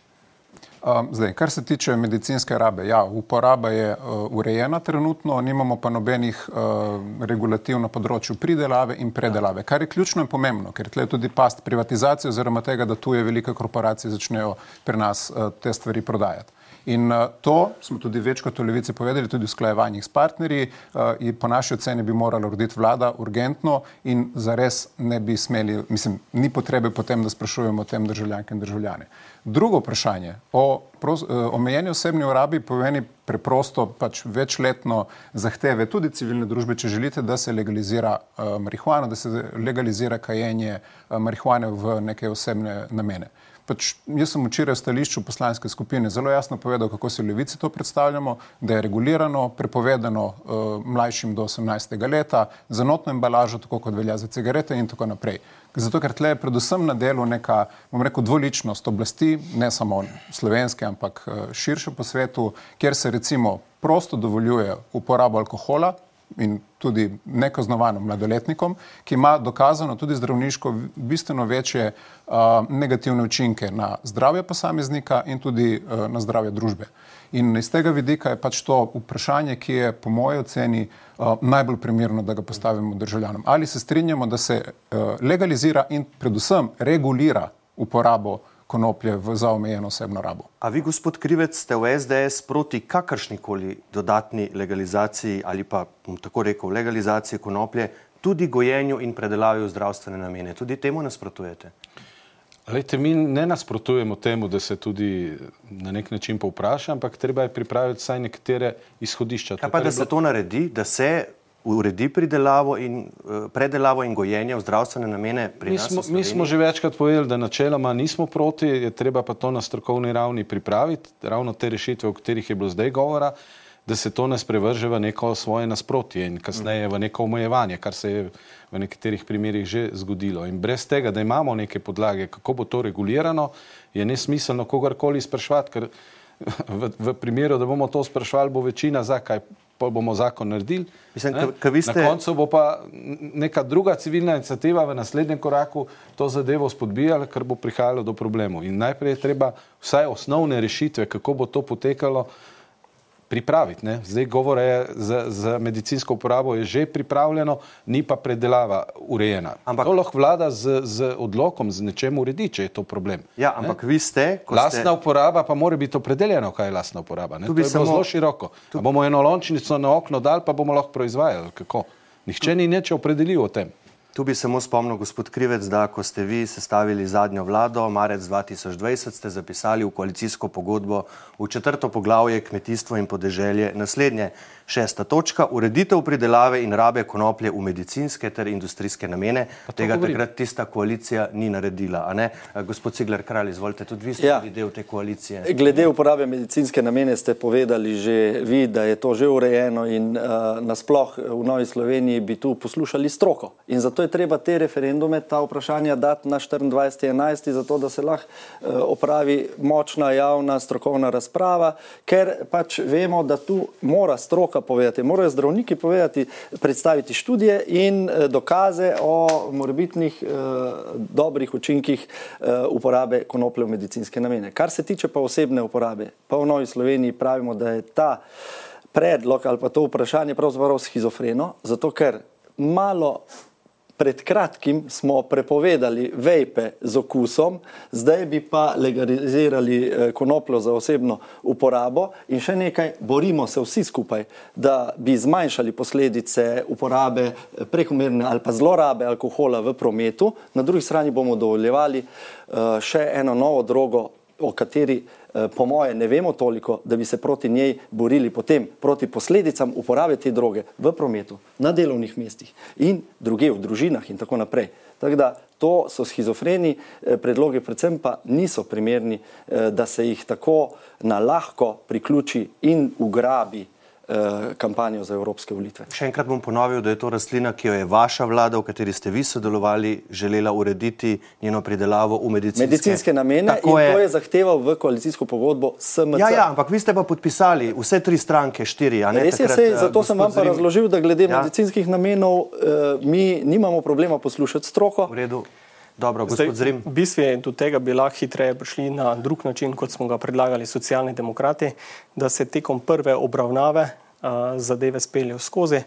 Um, zdaj, kar se tiče medicinske rabe, ja, uporaba je uh, urejena trenutno, nimamo pa nobenih uh, regulativ na področju pridelave in predelave, kar je ključno in pomembno, ker tle je tudi past privatizacije oziroma tega, da tuje velike korporacije začnejo pri nas uh, te stvari prodajati. In uh, to smo tudi večkrat v Levici povedali, tudi v usklajevanjih s partnerji, uh, in po naši oceni bi morala urediti vlada urgentno in zares ne bi smeli, mislim, ni potrebe potem, da sprašujemo o tem državljanke in državljane. Drugo vprašanje o pros, omejeni osebni uporabi pomeni preprosto pač večletno zahteve tudi civilne družbe, če želite, da se legalizira uh, marihuana, da se legalizira kajenje uh, marihuane v neke osebne namene. Pač jaz sem včeraj v stališču poslanske skupine zelo jasno povedal, kako si v Levici to predstavljamo, da je regulirano, prepovedano uh, mlajšim do osemnajstega leta, za notno embalažo, tako kot velja za cigarete in tako naprej. Zato, ker tle je predvsem na delu neka, bom rekel, dvoličnost oblasti, ne samo slovenske, ampak uh, širše po svetu, kjer se recimo prosto dovoljuje uporabo alkohola in tudi nekaznovano mladoletnikom, ki ima dokazano tudi zdravniško bistveno večje uh, negativne učinke na zdravje posameznika in tudi uh, na zdravje družbe. In iz tega vidika je pač to vprašanje, ki je po moji oceni uh, najbolj primerno, da ga postavimo državljanom. Ali se strinjamo, da se uh, legalizira in predvsem regulira uporabo konoplje v za omejeno osebno rabo. A vi, gospod Krivec, ste v S D S proti kakršnikoli dodatni legalizaciji ali pa, bom tako rekel, legalizaciji konoplje, tudi gojenju in predelavi v zdravstvene namene? Tudi temu nasprotujete? Lejte, mi ne nasprotujemo temu, da se tudi na nek način povpraša, ampak treba je pripraviti vsaj nekatere izhodišča. Ja, pa da se to naredi, da se uredi pridelavo in uh, predelavo in gojenje v zdravstvene namene pri mi nas smo, v Sloveniji? Mi smo že večkrat povedali, da načeloma nismo proti, je treba pa to na strokovni ravni pripraviti, ravno te rešitve, o katerih je bilo zdaj govora, da se to ne sprevrže v neko svoje nasprotje in kasneje v neko omejevanje, kar se je v nekaterih primerih že zgodilo. In brez tega, da imamo neke podlage, kako bo to regulirano, je nesmiselno kogarkoli spraševati, ker v, v primeru, da bomo to spraševali, bo večina za, kaj pa bomo zakon naredili. Mislim, ka, ka vi ste... Na koncu bo pa neka druga civilna iniciativa v naslednjem koraku to zadevo spodbijala, ker bo prihajalo do problemov. In najprej je treba vsaj osnovne rešitve, kako bo to potekalo, pripraviti. Ne? Zdaj govore je za, za medicinsko uporabo je že pripravljeno, ni pa predelava urejena. Ampak to lahko vlada z, z odlokom, z nečem uredi, če je to problem. Ja, ampak ne? vi ste... Lastna ste... uporaba pa mora biti opredeljena, kaj je lastna uporaba. Ne? To je samo... zelo široko. Tu... bomo eno lončnico na okno dali, pa bomo lahko proizvajali. Kako? Nihče tu... ni nič opredelil o tem. Tu bi samo spomnil, gospod Krivec, da ko ste vi sestavili zadnjo vlado, marec dva tisoč dvajset, ste zapisali v koalicijsko pogodbo v četrto poglavje kmetijstvo in podeželje naslednje. Šesta točka, ureditev pridelave in rabe konoplje v medicinske ter industrijske namene. Tega govorim. Takrat tista koalicija ni naredila, a ne? Gospod Cigler Kralj, izvolite, tudi vi ste ja. del te koalicije. Glede uporabe medicinske namene ste povedali že vi, da je to že urejeno in uh, nasploh v Novi Sloveniji bi tu poslušali stroko. In zato je treba te referendume, ta vprašanja dati na štiriindvajseti enajsti, zato da se lahko uh, opravi močna javna strokovna razprava, ker pač vemo, da tu mora stroka povedati, morajo zdravniki povedati, predstaviti študije in dokaze o morebitnih eh, dobrih učinkih eh, uporabe konoplje v medicinske namene. Kar se tiče pa osebne uporabe, pa v Novi Sloveniji pravimo, da je ta predlog ali pa to vprašanje pravzaprav schizofreno, zato ker malo pred kratkim smo prepovedali vejpe z okusom, zdaj bi pa legalizirali konopljo za osebno uporabo in še nekaj, borimo se vsi skupaj, da bi zmanjšali posledice uporabe prekomerne ali pa zlorabe alkohola v prometu. Na drugi strani bomo dovoljevali še eno novo drogo, o kateri po moje ne vemo toliko, da bi se proti njej borili potem, proti posledicam uporabe te droge v prometu, na delovnih mestih in druge v družinah in tako naprej. Tako da to so schizofreni predlogi, predvsem pa niso primerni, da se jih tako na lahko priključi in ugrabi kampanjo za evropske volitve. Še enkrat bom ponovil, da je to rastlina, ki jo je vaša vlada, v kateri ste vi sodelovali, želela urediti njeno pridelavo v medicinske, medicinske namene in je... to je zahteval v koalicijsko pogodbo S M C. Ja, ja, ampak vi ste pa podpisali vse tri stranke, štiri, a ne? Res je, sej, zato sem vam pa Zrim... razložil, da glede ja. medicinskih namenov eh, mi nimamo problema poslušati stroko. V redu. Dobro, gospod Zrim. V bistvu do tega bi lahko hitreje prišli na drug način, kot smo ga predlagali Socialni demokrati, da se tekom prve obravnave uh, zadeve speljejo skozi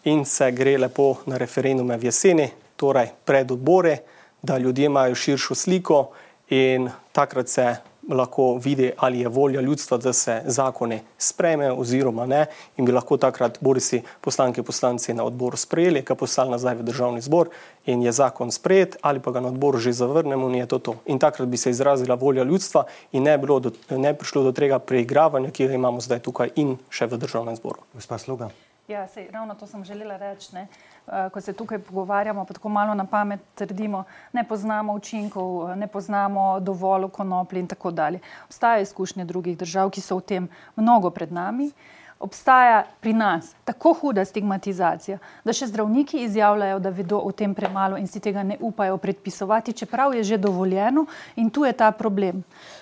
in se gre lepo na referendume v jeseni, torej pred odbore, da ljudje imajo širšo sliko in takrat se lahko vidi, ali je volja ljudstva, da se zakone sprejme oziroma ne in bi lahko takrat bodisi poslanke poslanci na odboru sprejeli, ga poslali nazaj v državni zbor in je zakon sprejet ali pa ga na odboru že zavrnemo in je to to. In takrat bi se izrazila volja ljudstva in ne, bilo do, ne prišlo do tega preigravanja, ki ga imamo zdaj tukaj in še v državnem zboru. Gospa Sluga. Ja, sej, ravno to sem želela reči, ne. Ko se tukaj pogovarjamo, pa tako malo na pamet trdimo, ne poznamo učinkov, ne poznamo dovolj konoplje in tako dalje. Obstajajo izkušnje drugih držav, ki so v tem mnogo pred nami. Obstaja pri nas tako huda stigmatizacija, da še zdravniki izjavljajo, da vedo o tem premalo in si tega ne upajo predpisovati, čeprav je že dovoljeno in tu je ta problem.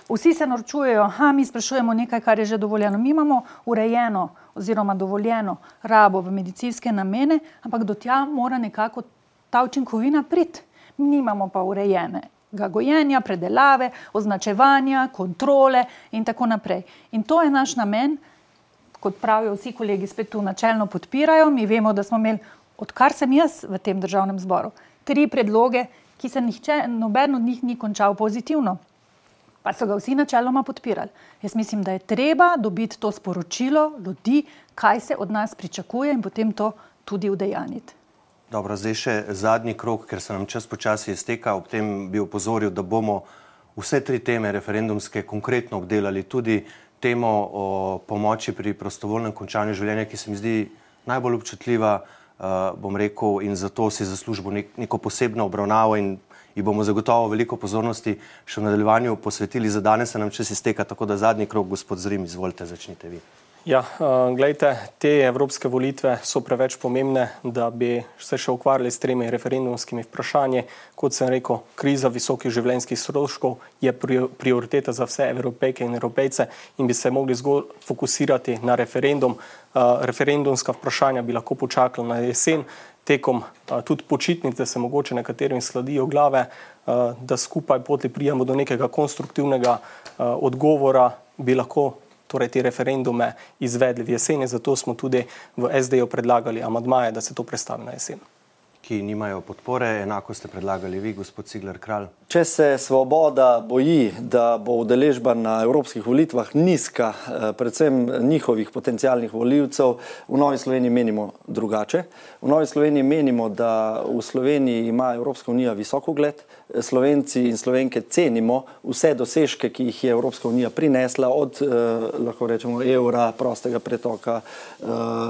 Vsi se norčujejo, ha, mi sprašujemo nekaj, kar je že dovoljeno. Mi imamo urejeno oziroma dovoljeno rabo v medicinske namene, ampak do tja mora nekako ta učinkovina priti. Mi nimamo pa urejenega gojenja, predelave, označevanja, kontrole in tako naprej. In to je naš namen, kot pravijo vsi kolegi, spet tu načelno podpirajo. Mi vemo, da smo imeli, odkar sem jaz v tem državnem zboru, tri predloge, ki se nihče, noben od njih ni končal pozitivno. Pa so ga vsi načeloma podpirali. Jaz mislim, da je treba dobiti to sporočilo ljudi, kaj se od nas pričakuje in potem to tudi udejaniti. Dobro, zdaj še zadnji krog, ker se nam čas počasi izteka. Ob tem bi opozoril, da bomo vse tri teme referendumske konkretno obdelali, tudi temo o pomoči pri prostovoljnem končanju življenja, ki se mi zdi najbolj občutljiva, uh, bom rekel, in zato si zaslužimo nek, neko posebno obravnavo in ji bomo zagotovo veliko pozornosti še v nadaljevanju posvetili. Za danes se nam čas izteka, tako da zadnji krog, gospod Zrim, izvolite, začnite vi. Ja, uh, glejte, te evropske volitve so preveč pomembne, da bi se še ukvarjali s tremi referendumskimi vprašanji. Kot sem rekel, kriza visokih življenjskih stroškov je prioriteta za vse Evropejke in Evropejce in bi se mogli zgolj fokusirati na referendum. Uh, referendumska vprašanja bi lahko počakala na jesen, tekom uh, tudi počitnice se mogoče nekaterim sladijo glave, uh, da skupaj poti prijemo do nekega konstruktivnega uh, odgovora, bi lahko torej te referendume izvedli v jeseni, zato smo tudi v es de-ju predlagali amandmaje, da se to prestavi na jesen. Ki nimajo podpore, enako ste predlagali vi, gospod Cigler Kralj. Če se Svoboda boji, da bo udeležba na evropskih volitvah nizka, predvsem njihovih potencialnih volivcev, v Novi Sloveniji menimo drugače. V Novi Sloveniji menimo, da v Sloveniji ima Evropska unija visok ugled. Slovenci in Slovenke cenimo vse dosežke, ki jih je Evropska unija prinesla, od eh, lahko rečemo evra, prostega pretoka eh,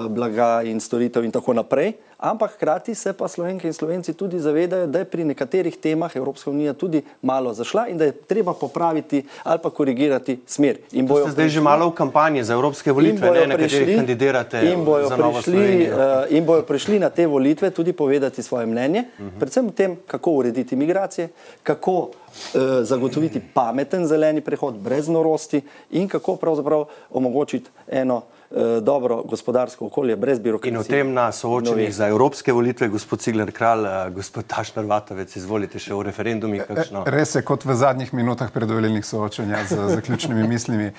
blaga in storitev in tako naprej. Ampak hkrati se pa Slovenke in Slovenci tudi zavedajo, da je pri nekaterih temah Evropska unija tudi malo zašla in da je treba popraviti ali pa korigirati smer. In to ste zdaj že malo v kampanji za evropske volitve, ne, na katerih kandidirate za Novo Slovenijo. Uh, in bojo prišli na te volitve tudi povedati svoje mnenje, uh-huh. predvsem o tem, kako urediti migracije, kako uh, zagotoviti pameten zeleni prehod brez norosti in kako pravzaprav omogočiti eno dobro gospodarsko okolje brez birokracije. In o tem na soočenjih za evropske volitve, gospod Cigler Kralj, gospod Tašner Vatovec, izvolite še o referendumih kakšno. Res je, kot v zadnjih minutah predvolilnih soočenja z zaključnimi mislimi.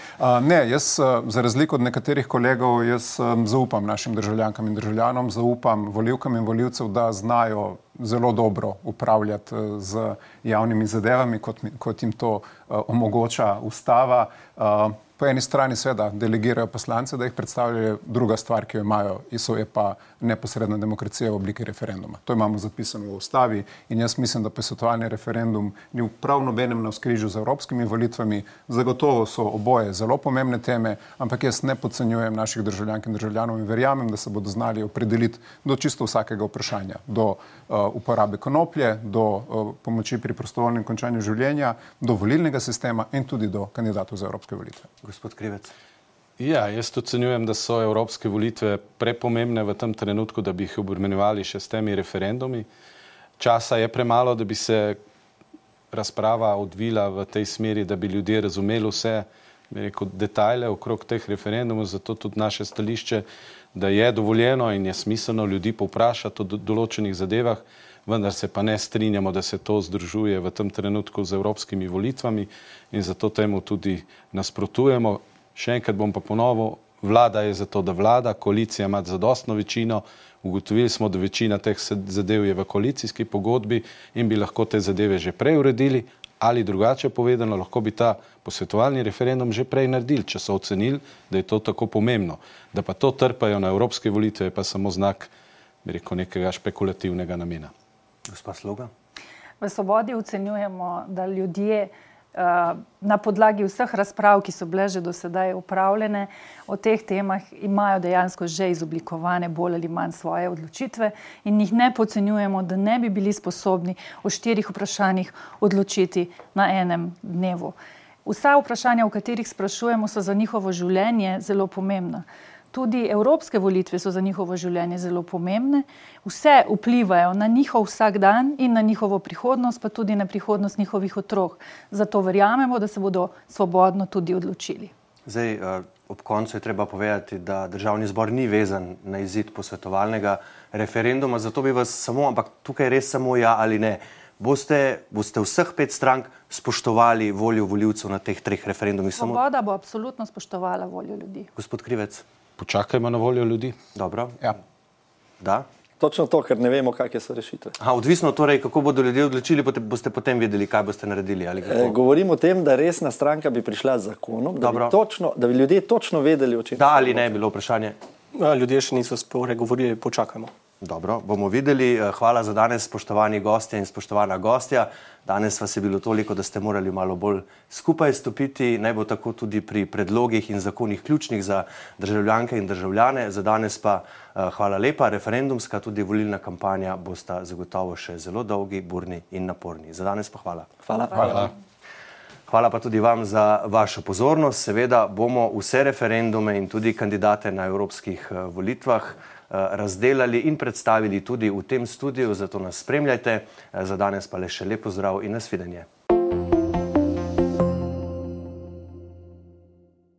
Ne, jaz za razliko od nekaterih kolegov, jaz zaupam našim državljankam in državljanom, zaupam volivkam in volivcev, da znajo zelo dobro upravljati z javnimi zadevami, kot, kot jim to omogoča ustava. Po eni strani seveda delegirajo poslance, da jih predstavljajo, druga stvar, ki jo imajo, je pa neposredna demokracija v obliki referenduma. To imamo zapisano v ustavi in jaz mislim, da posvetovalni referendum ni v prav nobenem navzkrižju z evropskimi volitvami. Zagotovo so oboje zelo pomembne teme, ampak jaz ne podcenjujem naših državljank in državljanov in verjamem, da se bodo znali opredeliti do čisto vsakega vprašanja, do uh, uporabe konoplje, do uh, pomoči pri prostovoljnem končanju življenja, do volilnega sistema in tudi do kandidatov za evropske volitve. Gospod Krivec. Ja, jaz ocenjujem, da so evropske volitve prepomembne v tem trenutku, da bi jih obremenjevali še s temi referendumi. Časa je premalo, da bi se razprava odvila v tej smeri, da bi ljudje razumeli vse, bi rekel, detajle okrog teh referendumov, zato tudi naše stališče, da je dovoljeno in je smiselno ljudi povprašati o določenih zadevah, vendar se pa ne strinjamo, da se to združuje v tem trenutku z evropskimi volitvami in zato temu tudi nasprotujemo. Še enkrat bom pa ponovil, vlada je zato, da vlada, koalicija ima zadostno večino, ugotovili smo, da večina teh zadev je v koalicijski pogodbi in bi lahko te zadeve že prej uredili ali drugače povedano, lahko bi ta posvetovalni referendum že prej naredili, če so ocenili, da je to tako pomembno. Da pa to trpajo na evropske volitve, je pa samo znak, bi rekel, nekega špekulativnega namena. Gospa Sloga. V Svobodi ocenjujemo, da ljudje na podlagi vseh razprav, ki so bile že do sedaj upravljene, o teh temah imajo dejansko že izoblikovane bolj ali manj svoje odločitve in jih ne podcenjujemo, da ne bi bili sposobni o štirih vprašanjih odločiti na enem dnevu. Vsa vprašanja, o katerih sprašujemo, so za njihovo življenje zelo pomembna. Tudi evropske volitve so za njihovo življenje zelo pomembne. Vse vplivajo na njihov vsak dan in na njihovo prihodnost, pa tudi na prihodnost njihovih otrok. Zato verjamemo, da se bodo svobodno tudi odločili. Zdaj, ob koncu je treba povedati, da Državni zbor ni vezan na izid posvetovalnega referenduma, zato bi vas samo, ampak tukaj res samo ja ali ne, boste, boste vseh pet strank spoštovali voljo volivcev na teh treh referendumih? Svoboda bo absolutno spoštovala voljo ljudi. Gospod Krivec. Počakajmo na voljo ljudi. Dobro. Ja. Da? Točno to, ker ne vemo, kakšne so rešitve. Aha, odvisno torej, kako bodo ljudje odločili, boste potem vedeli, kaj boste naredili. Ali e, govorim o tem, da resna stranka bi prišla z zakonom, da bi, točno, da bi ljudje točno vedeli, o čem. Da ali ne je bilo vprašanje? Ljudje še niso spregovorili, počakajmo. Dobro, bomo videli. Hvala za danes, spoštovani gostje in spoštovana gostja. Danes vas je bilo toliko, da ste morali malo bolj skupaj stopiti. Naj bo tako tudi pri predlogih in zakonih ključnih za državljanke in državljane. Za danes pa hvala lepa. Referendumska, tudi volilna kampanja bosta zagotovo še zelo dolgi, burni in naporni. Za danes pa hvala. Hvala. Hvala. Hvala pa tudi vam za vašo pozornost. Seveda bomo vse referendume in tudi kandidate na evropskih volitvah razdelali in predstavili tudi v tem studiu, zato nas spremljajte. Za danes pa le še lep pozdrav in nasvidenje.